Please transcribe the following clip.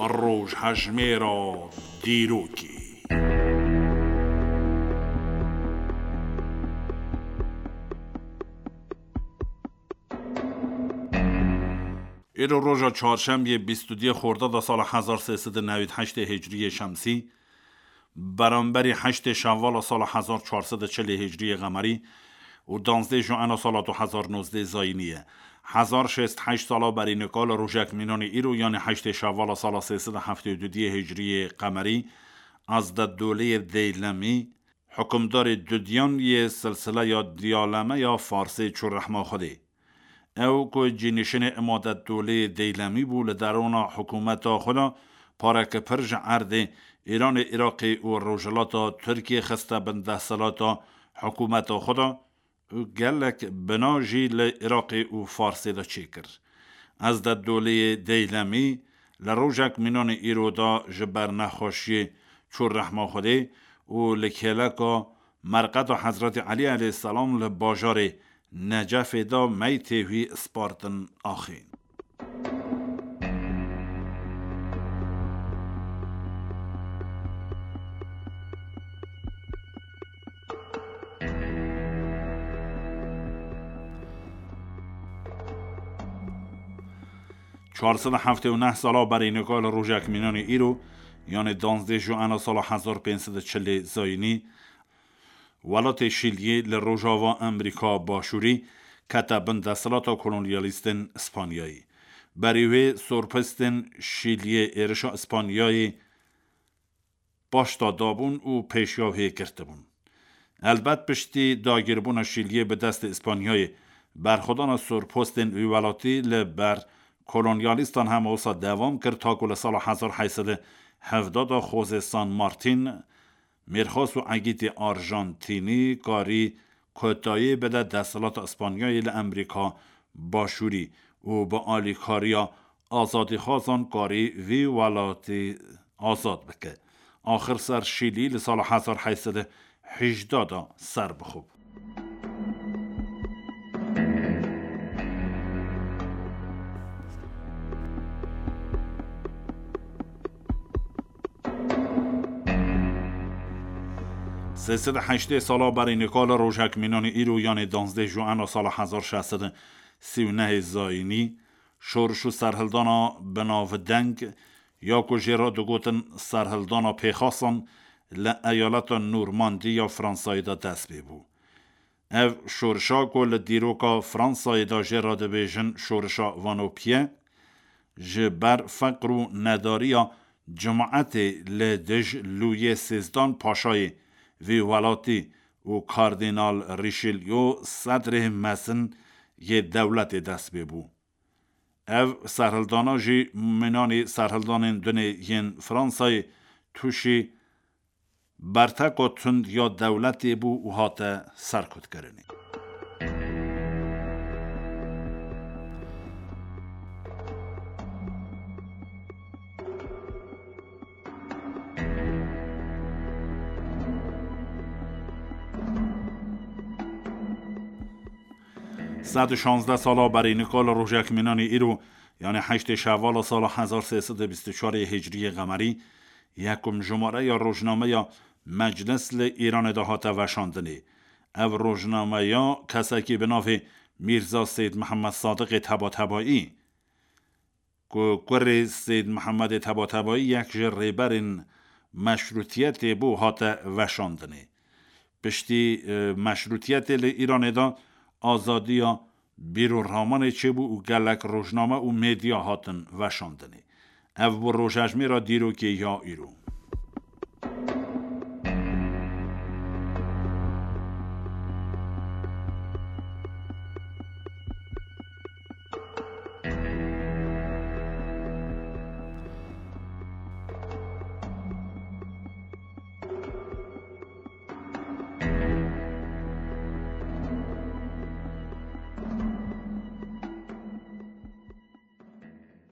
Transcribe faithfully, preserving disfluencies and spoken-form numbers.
Rojhejmêra dîrokê. Îro roja çarşembiyê bîst û duyê Xordada sala hezar sê sed û newîd heştê Hicriyê Şemsî, beramberî heştê Şewvala sala hezar çar sed û çilê Hicriyê Qemerî û danzdê Juena sala du hezar nozdê Zayînî ye. Hezar şêst heşt sala berî nika li rojek mînanî îro, yanî heştê Şewvala sala sê sed û heftê û duyê Hicriyê Qemerî, Ezdetdoleyê Deylemî, hukimdarê dudiyan yê silsileya Diyaleme ya Farsê çû rehma Xwedê. Ew ku cînişinê Îmadetdoleyê Deylemî bû, li derûna hikûmeta xwe de pareke pir ji erdê Îranê, Iraqê û Rojhilata Tirkiyê xiste bin desthilata hikûmeta xwe de û gelek bina jî li Iraqê û Farsê de çêkir. Ezdetdoleyê Deylemî li rojek mînanê îro de ji ber nexweşiyê çû rehma Xwedê û li kêleka merqeta Hezretî Elî eleyhîsselam li bajarê Necefê de meytê wî spartin axê. Çar sed û heftê û neh sala berî nika li rojek mînanê îro, yanê danzdê Juena sala hezar pênc sed û çilê Zayînî, welatê Şîliyê li rojava Amerîka Başûrî kete bin desthilata kolonyalîstên Spanyayê. Berî wê sorpistên Şîliyê êrişa Spanyayê paşta dabûn û pêşiya wê girtibûn. Helbet piştî dagîrbûna Şîliyê bi destê Îspanyayê, berxwedana sorpostên wî welatî li ber kolonyalîstan hema wisa dewam kir, ta ku li sala hezar heyt sed û hevdeh de José San Martín, mêrxas û egîtê Arjantînî, karî kotayî bide desthilata Îspanyayê li Amerîka Başûrî û bi alîkariya azadîxwazan karî vî welatî azad bike. Axir ser Şîlî li sala hezar heyt sed û hejdeh de ser bixwe. Sê sed û heştê sala berî nika li rojek mînanê îro, yanê danzdeh Juena sala hezar şeş sed û sî û nehê Zayînî, şoriş û serhildana binavdeng ya ku jê re digotin serhildana pêxasan, li eyaleta Normandî ya Fransayê de dest pê bû. Ev şorişa ku li dîroka Fransayê de jê re dibêjin şorişa Vanopiye, ji ber feqr û nedariya cimaetê li dij Lûyê Sêzdan Paşayê vî welatî û Kardînal Rîşelyo sedrê mezin yê dewletê dest pê bû. Ev serhildana jî mînanî serhildanên dunê yên Fransayê tûşî berteka tund ya dewletê bû û hate serkutkirinê. Sed û şazdeh sala berî nika li rojek mînanî îro, yanî heştê Şevala sala hezar sê sed û bîst û çarê Hicriyê Qemerî, yekum jimare ya rojnameya Meclis li Îranê de hate veşandinê. Ev rojnameya kesekî bi navê Mîrza Seyd Mihemed Sadiqê Tebatebayî, ku kurê Seyd Mihemedê Tebatebayî yek ji rêberên meşrûtiyetê bû, hate veşandinê. Piştî, e, meşrûtiyetê li Îranê de azadiya bîr û ramanê çêbû û gelek rojname û medya hatin veşandinê. Ev bû rojejmêra dîrokê ya îro.